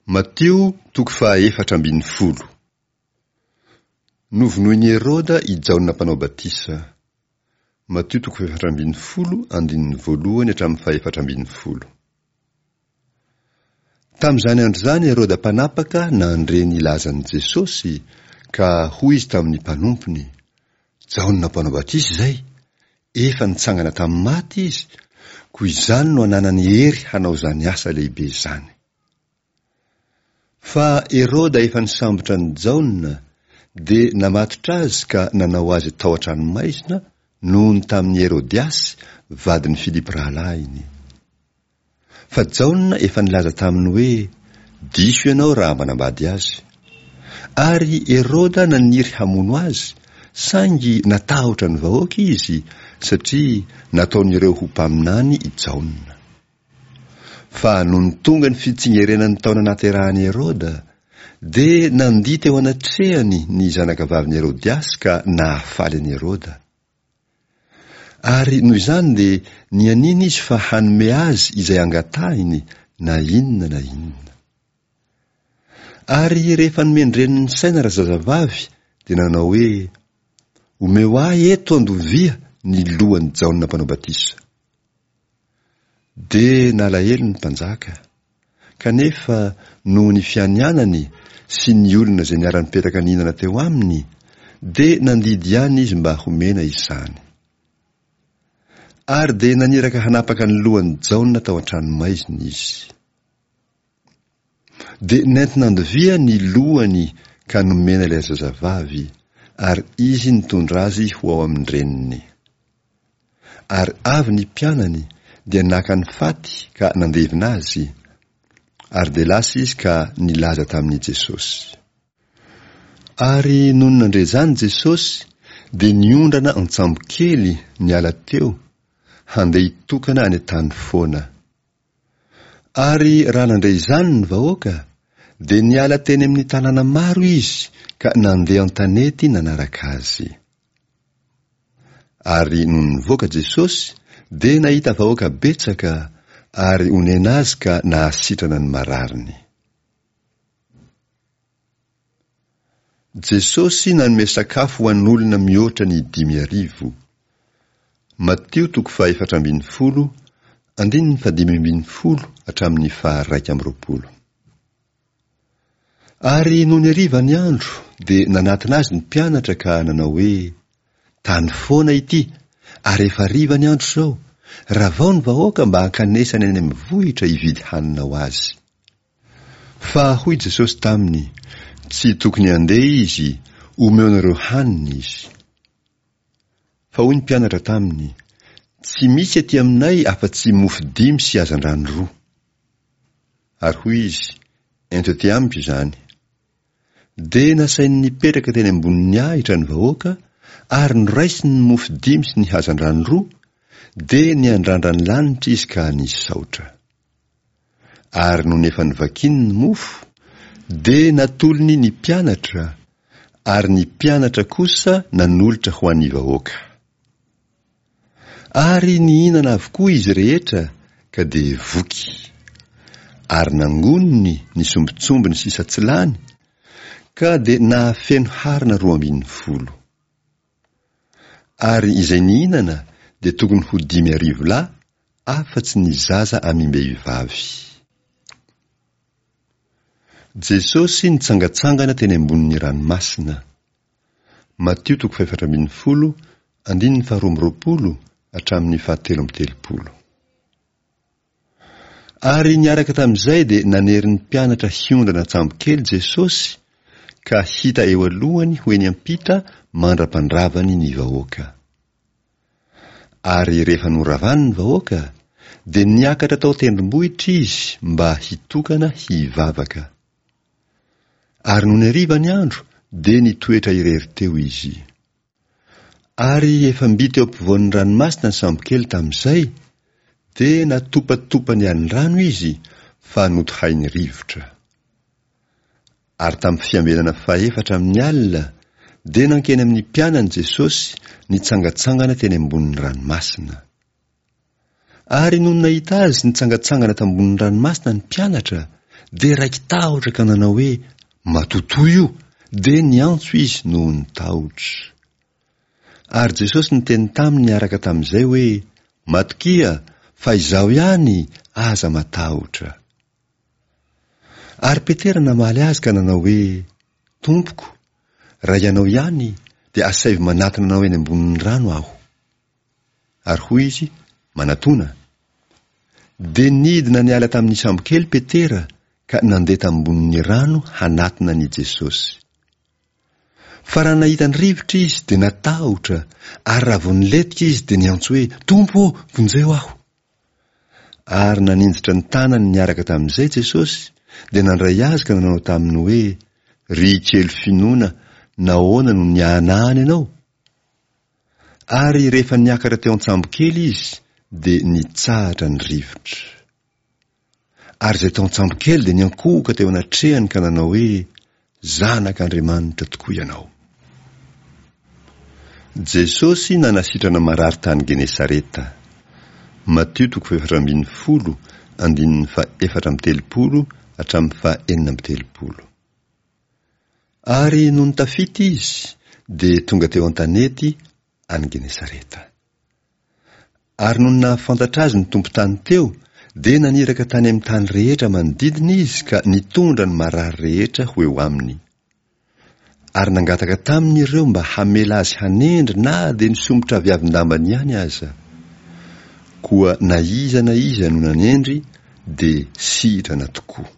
Matio toko faha 14. Novonoin'i Heroda i Jaona Mpanao Batisa. Matio toko fahefatra ambin'ny folo andininy voalohany hatramin'ny fahefatra ambin'ny folo. Tamin'izany andro izany Heroda mpanapaka nandre ny lazan'i Jesosy ka hoy izy tamin'ny mpanompony, Jaona Mpanao Batisa izay, efa nitsangana tamin'ny maty izy, koa izany no ananany hery hanao izany asa lehibe izany. Fa Heroda efa nisambotra an'i Jaona, dia namatotra azy ka nanao azy tao an-tranomaizina noho ny tamin'i Herodiasy vadin'i Filipo rahalahiny. Fa Jaona efa nilaza taminy hoe, Diso ianao raha manambady azy. Ary Heroda naniry hamono azy, saingy natahotra ny vahoaka izy, satria nataon'ireo ho mpaminany i Jaona. Fa nony tonga ny fitsingerenan'ny taona naterahan'i Heroda, dia nandihy teo anatrehany ny zanakavavin'i Herodiasy ka nahafaly an'i Heroda. Ary noho izany dia nianiana izy fa hanome azy izay angatahiny na inona na inona. Ary rehefa nomen-dreniny saina razazavavy dia nanao hoe, Omeo ahy eto an-dovia ny lohan'i Jaona Mpanao Batisa. Dia nalahelo ny mpanjaka. Kanefa noho ny fianianany sy ny olona izay niara-nipetraka nihinana teo aminy, dia nandidy ihany izy mba homena izany. Ary dia naniraka hanapaka ny lohan'i Jaona tao an-tranomaizina izy. Dia nentin'andovia ny lohany ka nomena ilay zazavavy, ary izy nitondra azy ho ao amin-dreniny. Ary avy ny mpianany dia naka ny faty ka nandevina azy, ary dia lasa izy ka nilaza tamin'i Jesosy. Ary nony nandre izany Jesosy dia niondrana an-tsambokely niala teo, handeha hitokana any an-tany foana. Ary raha nandre izany ny vahoaka, dia niala teny amin'ny tanàna maro izy ka nandeha an-tanety nanaraka azy. Ary nony nivoaka Jesosy, dia nahita vahoaka betsaka, ary onena azy ka nahasitrana ny marariny. Jesosy nanome sakafo ho an'olona mihoatra ny 5000. Matio toko faha-14, andininy faha-15 hatramin'ny faha-21. Ary nony hariva ny andro, dia nanatona azy ny mpianatra ka nanao hoe, Tany foana ity, ary efa hariva ny andro izao, ravao ny vahoaka mba hankanesany any amin'ny vohitra hividy hanina ho azy. Fa hoy Jesosy taminy, Tsy tokony handeha izy, omeonareo hanina izy. Fa hoy ny mpianatra taminy, Tsy misy aty aminay afa-tsy mofo dimy sy hazandrano roa. Ary hoy izy, Ento aty amiko izany. Dia nasainy nipetraka teny ambonin'ny ahitra ny vahoaka, ary noraisiny ny mofo dimy sy ny hazandrano roa, dia niandrandra ny lanitra izy ka nisaotra. Ary nony efa novakiny ny mofo, dia natolony ny mpianatra, ary ny mpianatra kosa nanolotra ho an'ny vahoaka. Ary nihinana avokoa izy rehetra ka dia voky. Ary nangoniny ny sombintsombiny sisa tsy lany, ka dia nahafeno harona 12. Ary izay nihinana dia tokony ho 5000 lahy, afa-tsy ny zaza amim-behivavy. Jesosy nitsangantsangana teny ambonin'ny ranomasina. Matio toko faha-14, andininy faha-22 hatramin'ny faha-33. Ary niaraka tamin'izay dia nanery ny mpianatra hiondrana an-tsambokely Jesosy ka hita eo alohany ho eny am-pita mandra-pandravany ny vahoaka. Ary rehefa noravany ny vahoaka, dia niakatra tao an-tendrombohitra izy mba hitokana hivavaka. Ary nony hariva ny andro, dia nitoetra irery teo izy. Ary efa mby teo ampovoan'ny ranomasina ny sambokely tamin'izay, dia natopatopan'ny alin-drano izy fa notohain'ny rivotra. Ary tamin'ny fiambenana fahefatra amin'ny alina, dia nankeny amin'ny mpianany Jesosy nitsangantsangana teny ambonin'ny ranomasina. Ary nony nahita Azy nitsangantsangana tambonin'ny ranomasina ny mpianatra, Dia raiki-tahotra ka nanao hoe, Matotoa io! Dia niantso izy noho ny tahotra. Ary Jesosy niteny taminy niaraka tamin'izay hoe, Matokia, fa Izaho ihany, aza matahotra. Ary Petera namaly Azy ka nanao hoe, Tompoko, raha Ianao ihany, dia asaivo manatona Anao eny ambonin'ny rano aho. Ary hoy Izy, Manatona. Dia nidina niala tamin'ny sambokely Petera ka nandeha tambonin'ny rano hanatona an'i Jesosy. Fa raha nahita ny rivotra izy dia natahotra, ary raha vao nilentika izy dia niantso hoe, Tompo ô, vonjeo aho! Ary naninjitra ny tanany niaraka tamin'izay Jesosy, dia nandray azy ka nanao taminy hoe, Ry kely finoana, nahoana no niahanahana ianao? Ary rehefa niakatra teo an-tsambokely izy, dia nitsahatra ny rivotra. Ary izay tao an-tsambokely dia niankohoka teo anatrehany ka nanao hoe, Zanak'Andriamanitra tokoa ianao. Jesosy nanasitrana marary tany Genesareta. Matio toko faha-14, andininy faha-34 hatramin'ny faha-36. Ary nony tafita izy, dia tonga teo an-tanety any Genesareta. Ary nony nahafantatra azy ny tompon-tany teo, dia naniraka tany amin'ny tany rehetra manodidina izy ka nitondra ny marary rehetra ho eo aminy. Ary nangataka taminy ireo mba hamela azy hanendry na dia ny somotra aviavin-dambany ihany aza. Koa na iza na iza no nanendry dia sitrana tokoa.